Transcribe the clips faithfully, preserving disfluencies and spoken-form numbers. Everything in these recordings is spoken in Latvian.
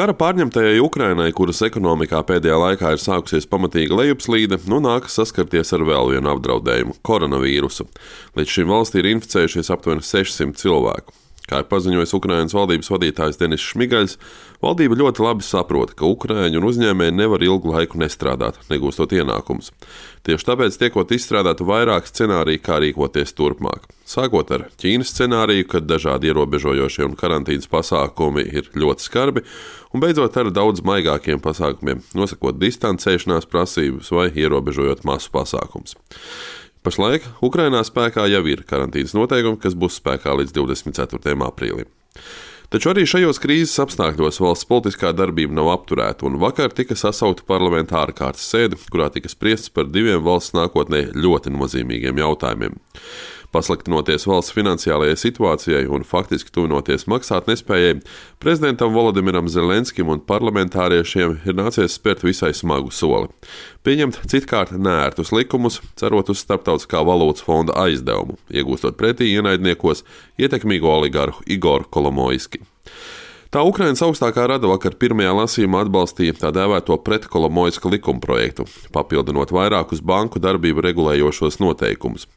Kara pārņemtajai Ukrainai, kuras ekonomikā pēdējā laikā ir sākusies pamatīga lejupslīde, nu nākas saskarties ar vēl vienu apdraudējumu - koronavīrusu. Līdz šim valstī ir inficējušies aptuveni sešsimt cilvēku. Kā ir paziņojis Ukrainas valdības vadītājs Denis Šmigaļs, valdība ļoti labi saprot, ka ukraiņi un uzņēmēji nevar ilgu laiku nestrādāt, negūstot ienākumus. Tieši tāpēc tiekot izstrādāti vairāk scenāriju, kā rīkoties turpmāk. Sākot ar Ķīnas scenāriju, kad dažādi ierobežojošie un karantīnas pasākumi ir ļoti skarbi, un beidzot ar daudz maigākiem pasākumiem, nosakot distancēšanās prasības vai ierobežojot masu pasākumus. Pašlaik Ukrainā spēkā jau ir karantīnas noteikumi, kas būs spēkā līdz divdesmit ceturtajam aprīlim. Taču arī šajos krīzes apstākļos valsts politiskā darbība nav apturēta, un vakar tika sasaukta parlamenta ārkārtas sēde, kurā tika spriests par diviem valsts nākotnē ļoti nozīmīgiem jautājumiem. Pasliktinoties valsts finansiālajai situācijai un faktiski tuvinoties maksātnespējai, prezidentam Volodimiram Zelenskim un parlamentāriešiem ir nācies spērt visai smagu soli. Pieņemt citkārt neērtus likumus, cerot uz Starptautiskā valūtas fonda aizdevumu, iegūstot pretī ienaidniekos ietekmīgo oligarhu Igoru Kolomoiski. Tā Ukrainas augstākā rada vakar pirmajā lasījumā atbalstīja tā dēvēto pretkolomoiska likumprojektu, papildinot vairākus banku darbību regulējošos noteikumus.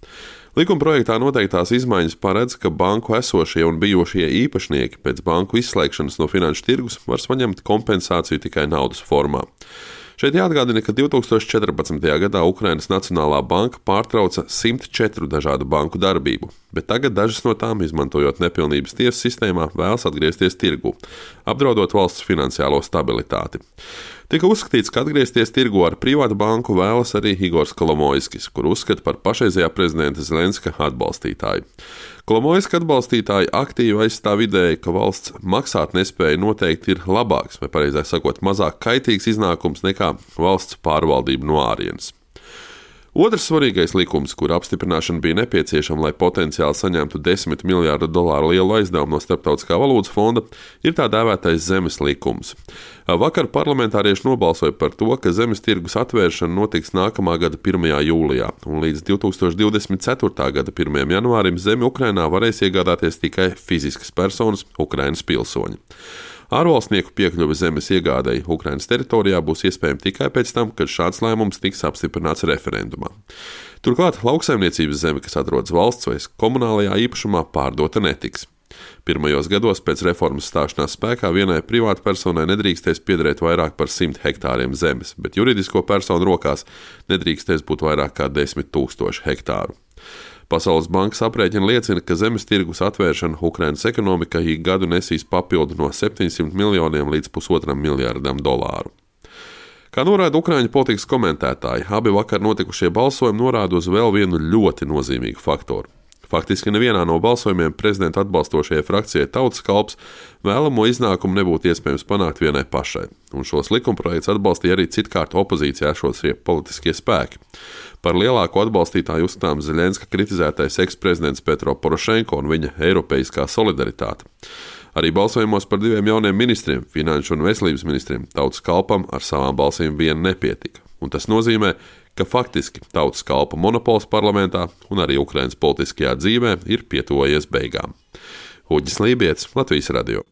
Likumprojektā noteiktās izmaiņas paredz, ka banku esošie un bijušie īpašnieki pēc banku izslēgšanas no finanšu tirgus var saņemt kompensāciju tikai naudas formā. Šeit jāatgādina, ka divtūkstoš četrpadsmitajā gadā Ukrainas Nacionālā banka pārtrauca simt četru dažādu banku darbību, bet tagad dažas no tām, izmantojot nepilnības tiesu sistēmā, vēlas atgriezties tirgū, apdraudot valsts finansiālo stabilitāti. Tika uzskatīts, ka atgriezties tirgu ar privātu banku vēlas arī Igors Kolomoiskis, kur uzskata par pašreizējā prezidenta Zelenska atbalstītāju. Kolomoiska atbalstītāji aktīvi aizstāv ideju, ka valsts maksātnespēja noteikti ir labāks, vai pareizāk sakot, mazāk kaitīgs iznākums nekā valsts pārvaldība no ārienes. Otrs svarīgais likums, kura apstiprināšana bija nepieciešama, lai potenciāli saņemtu desmit miljārdu dolāru lielu aizdevumu no Starptautiskā valūtas fonda, ir tā dēvētais zemes likums. Vakar parlamentārieši nobalsoja par to, ka zemes tirgus atvēršana notiks nākamā gada pirmajā jūlijā, un līdz divtūkstoš divdesmit ceturtā gada pirmajam janvārim zemi Ukrainā varēs iegādāties tikai fiziskas personas, Ukrainas pilsoņi. Ārvalstnieku piekļuve zemes iegādei Ukrainas teritorijā būs iespējama tikai pēc tam, kad šāds lēmums tiks apstiprināts referendumā. Turklāt lauksaimniecības zeme, kas atrodas valsts vai komunālajā īpašumā, pārdota netiks. Pirmajos gados pēc reformas stāšanās spēkā vienai privātpersonai nedrīkstēs piederēt vairāk par simt hektāriem zemes, bet juridisko personu rokās nedrīkstēs būt vairāk kā desmit tūkstoši hektāru. Pasaules bankas aprēķini liecina, ka zemes tirgus atvēršana Ukrainas ekonomikai ik gadu nesīs papildu no septiņsimt miljoniem līdz pusotram miljardam dolāru. Kā norāda Ukraiņu politikas komentētāji, abi vakar notikušie balsojumi norāda uz vēl vienu ļoti nozīmīgu faktoru. Faktiski nevienā no balsojumiem prezidenta atbalstošajai frakcijai Tautas kalps vēlamo iznākumu nebūtu iespējams panākt vienai pašai, un šos likumprojektus atbalstīja arī citkārt opozīcijā esošie politiskie spēki. Par lielāko atbalstītāju uzskatām Zelenska kritizētais eksprezidents Petro Porošenko un viņa eiropeiskā solidaritāte. Arī balsojumos par diviem jauniem ministriem, finanšu un veselības ministriem, Tautas kalpam ar savām balsīm vien nepietika. Un tas nozīmē, ka faktiski Tautas kalpa monopols parlamentā un arī Ukrainas politiskajā dzīvē ir pietuvojies beigām. Uģis Lībijets, Latvijas radio.